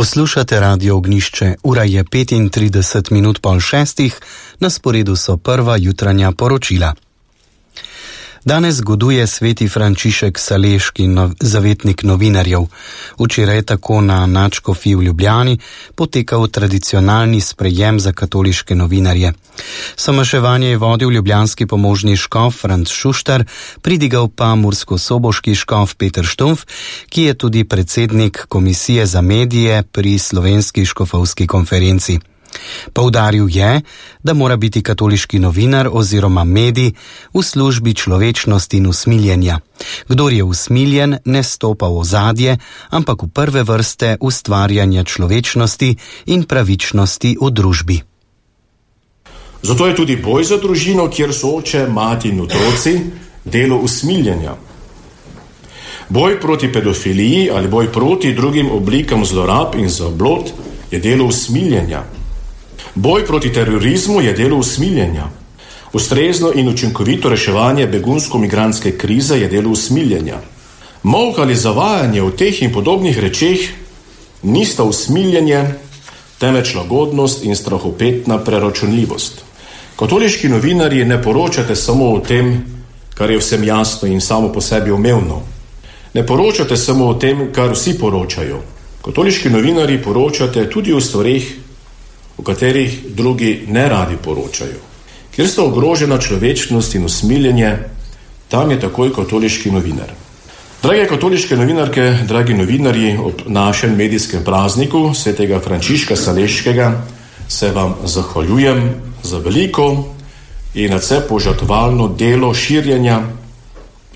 Poslušate Radio Ognjišče, ura je 35 minut pol šestih, na sporedu so prva jutranja poročila. Danes goduje sveti Frančišek Saleški, zavetnik novinarjev. Včeraj je tako na nadškofiji v Ljubljani potekal tradicionalni sprejem za katoliške novinarje. Somaševanje je vodil ljubljanski pomožni škof Franc Šuštar, pridigal pa murskosoboški škof Peter Štumf, ki je tudi predsednik Komisije za medije pri Slovenski škofovski konferenci. Poudaril je, da mora biti katoliški novinar oziroma medij v službi človečnosti in usmiljenja. Kdor je usmiljen, ne stopa v ozadje, ampak v prve vrste ustvarjanja človečnosti in pravičnosti v družbi. Zato je tudi boj za družino, kjer so oče, mati in otroci, delo usmiljenja. Boj proti pedofiliji ali boj proti drugim oblikam zlorab in zablod je delo usmiljenja. Boj proti terorizmu je delo usmiljenja. Ustrezno in učinkovito reševanje begunsko-migrantske krize je delo usmiljenja. Molk ali zavajanje v teh in podobnih rečeh nista usmiljenje, temveč lagodnost in strahopetna preračunljivost. Katoliški novinarji ne poročate samo o tem, kar je vsem jasno in samo po sebi umevno. Ne poročate samo o tem, kar vsi poročajo. Katoliški novinarji poročate tudi o stvareh, o katerih drugi ne radi poročajo. Kjer sta ogrožena človečnost in usmiljenje, tam je takoj katoliški novinar. Drage katoliške novinarke, dragi novinarji, ob našem medijskem prazniku svetega Frančiška Saleškega se vam zahvaljujem za veliko in nadvse požrtvovalno delo širjenja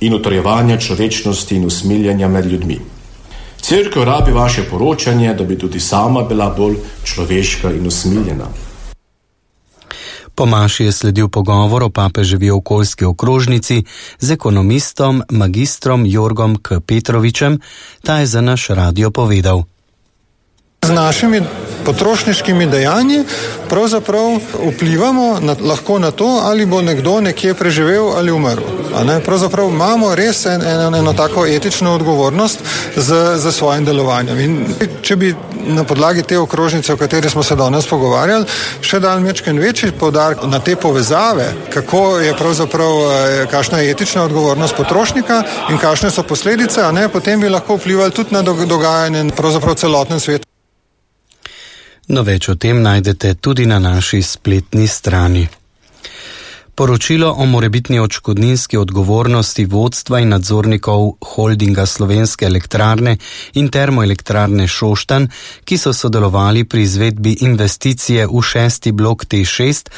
in utrjevanja človečnosti in usmiljenja med ljudmi. Cerkev rabi vaše poročanje, da bi tudi sama bila bolj človeška in usmiljena. Po maši je sledil pogovor o papeževi okoljski okrožnici z ekonomistom magistrom Jorgom K. Petrovičem, ta je za naš radio povedal. Z našimi potrošniškimi dejanji pravzaprav vplivamo lahko na to, ali bo nekdo nekje preživel ali umrl. Pravzaprav imamo res eno tako etično odgovornost za svojim delovanjem. In če bi na podlagi te okrožnice, o kateri smo se danes pogovarjali, še dal mečken večji poudarek na te povezave, kako je pravzaprav, kakšna je etična odgovornost potrošnika in kakšne so posledice, potem bi lahko vplivali tudi na dogajanje pravzaprav celotnem svetu. No, več o tem najdete tudi na naši spletni strani. Poročilo o morebitni odškodninski odgovornosti vodstva in nadzornikov holdinga Slovenske elektrarne in termoelektrarne Šoštanj, ki so sodelovali pri izvedbi investicije v 6. blok T6,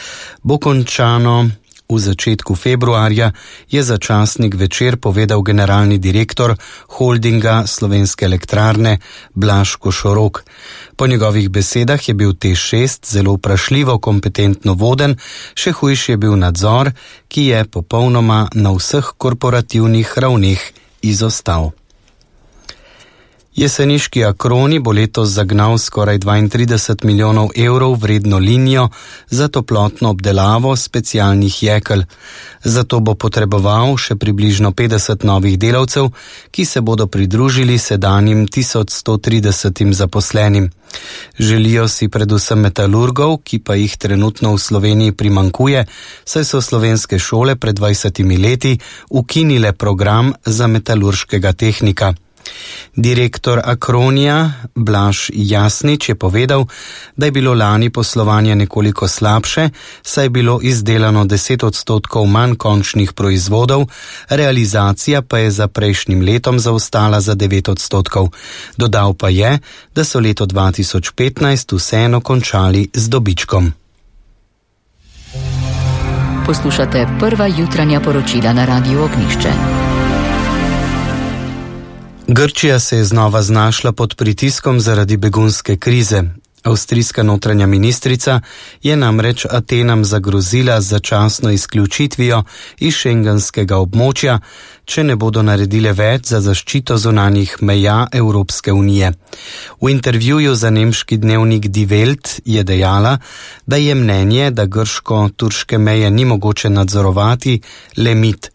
bo končano v začetku februarja, je za časnik Večer povedal generalni direktor holdinga Slovenske elektrarne Blaž Košorok. Po njegovih besedah je bil T6 zelo vprašljivo kompetentno voden, še hujši je bil nadzor, ki je popolnoma na vseh korporativnih ravneh izostal. Jeseniški Akroni bo letos zagnal skoraj 32 milijonov evrov vredno linijo za toplotno obdelavo specialnih jekel. Zato bo potreboval še približno 50 novih delavcev, ki se bodo pridružili sedanjim 1130 zaposlenim. Želijo si predvsem metalurgov, ki pa jih trenutno v Sloveniji primanjkuje, saj so slovenske šole pred 20 leti ukinile program za metalurškega tehnika. Direktor Akronija Blaž Jasnič je povedal, da je bilo lani poslovanje nekoliko slabše, saj je bilo izdelano 10% manj končnih proizvodov, realizacija pa je za prejšnjim letom zaostala za 9%. Dodal pa je, da so leto 2015 vseeno končali z dobičkom. Poslušate prva jutranja poročila na Radiu Ognjišče. Grčija se je znova znašla pod pritiskom zaradi begunske krize. Avstrijska notranja ministrica je namreč Atenam zagrozila z začasno izključitvijo iz šengenskega območja, če ne bodo naredile več za zaščito zunanjih meja Evropske unije. V intervjuju za nemški dnevnik Die Welt je dejala, da je mnenje, da grško-turške meje ni mogoče nadzorovati, le mit.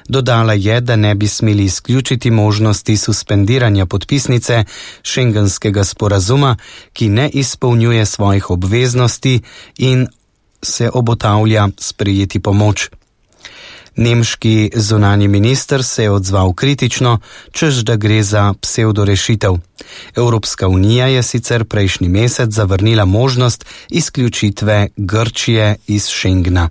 Dodala je, da ne bi smeli izključiti možnosti suspendiranja podpisnice šengenskega sporazuma, ki ne izpolnjuje svojih obveznosti in se obotavlja sprejeti pomoč. Nemški zunanji minister se je odzval kritično, češ da gre za psevdorešitev. Evropska unija je sicer prejšnji mesec zavrnila možnost izključitve Grčije iz Schengena.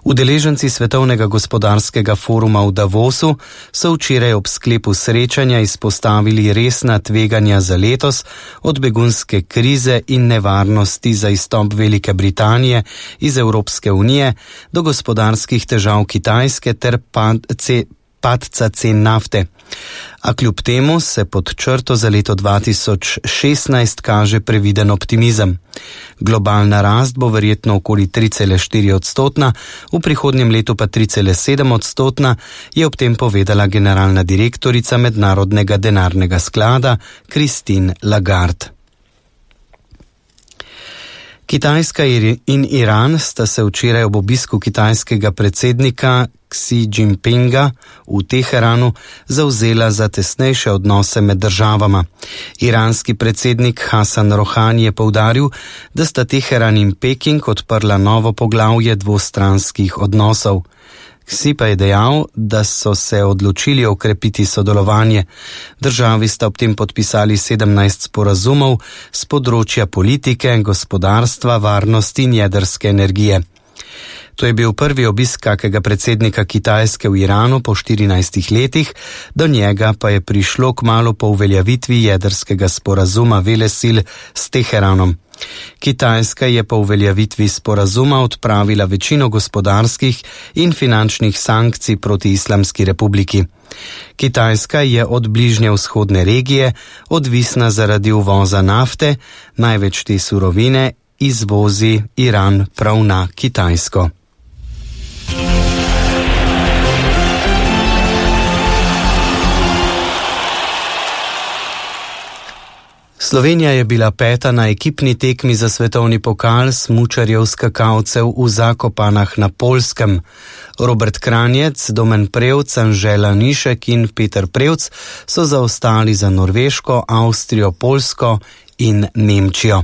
Udeleženci Svetovnega gospodarskega foruma v Davosu so včeraj ob sklepu srečanja izpostavili resna tveganja za letos, od begunske krize in nevarnosti za izstop Velike Britanije iz Evropske unije do gospodarskih težav Kitajske ter padca cen nafte. A kljub temu se pod črto za leto 2016 kaže previden optimizem. Globalna rast bo verjetno okoli 3,4%, v prihodnjem letu pa 3,7%, je ob tem povedala generalna direktorica Mednarodnega denarnega sklada Christine Lagarde. Kitajska in Iran sta se včeraj ob obisku kitajskega predsednika Xi Jinpinga v Teheranu zavzela za tesnejše odnose med državama. Iranski predsednik Hasan Rohani je poudaril, da sta Teheran in Peking odprla novo poglavje dvostranskih odnosov. Xi pa je dejal, da so se odločili okrepiti sodelovanje. Državi sta ob tem podpisali 17 sporazumov z področja politike, gospodarstva, varnosti in jedrske energije. To je bil prvi obisk kakega predsednika Kitajske v Iranu po 14 letih, do njega pa je prišlo kmalu po uveljavitvi jedrskega sporazuma velesil s Teheranom. Kitajska je po uveljavitvi sporazuma odpravila večino gospodarskih in finančnih sankcij proti Islamski republiki. Kitajska je od bližnje vzhodne regije odvisna zaradi uvoza nafte, največ te surovine izvozi Iran prav na Kitajsko. Slovenija je bila peta na ekipni tekmi za svetovni pokal smučarjev skakalcev v Zakopanah na Poljskem. Robert Kranjec, Domen Prevc, Anžela Nišek in Peter Prevc so zaostali za Norveško, Avstrijo, Poljsko in Nemčijo.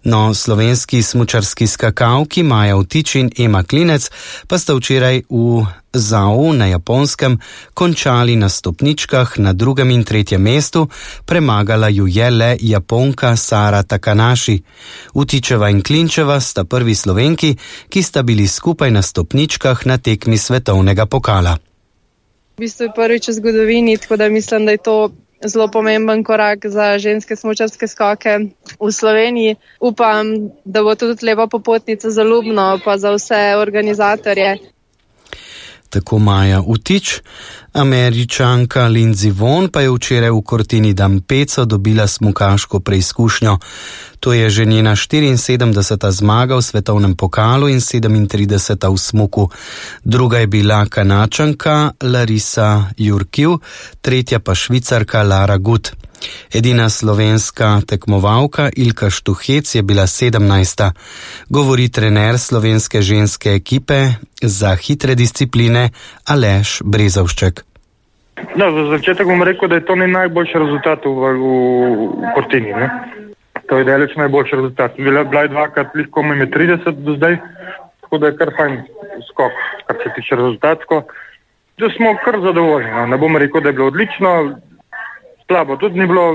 No, slovenski smučarski skakalki Maja Vtič in Ema Klinec pa sta včeraj v Zhou na Japonskem končali na stopničkah na 2. in 3. mestu, premagala ju je le Japonka Sara Takanashi. Vtičeva in Klinčeva sta prvi Slovenki, ki sta bili skupaj na stopničkah na tekmi svetovnega pokala. V bistvu je prvič v zgodovini, tako da mislim, da je to zelo pomemben korak za ženske smučarske skoke v Sloveniji. Upam, da bo tudi lepa popotnica za Ljubno pa za vse organizatorje. Tako Maja Vtič. Američanka Lindsey Vonn pa je včeraj v Cortina d'Ampezzo dobila smukaško preizkušnjo. To je že njena 74. zmaga v svetovnem pokalu in 37. v smuku. Druga je bila Kanačanka Larisa Jurkiv, tretja pa Švicarka Lara Gut. Edina slovenska tekmovalka Ilka Štuhec je bila 17. Govori trener slovenske ženske ekipe za hitre discipline Aleš Brezovšček. Da, za začetek bom rekel, da je to najboljši rezultat v Cortini. To je daleč najboljši rezultat. Bila je dvakrat lahko ime 30 do zdaj, tako da je kar fajn skok, kar se tiče rezultatsko. Da smo kar zadovoljni. Ne bom rekel, da je bilo odlično, slabo tudi ni bilo.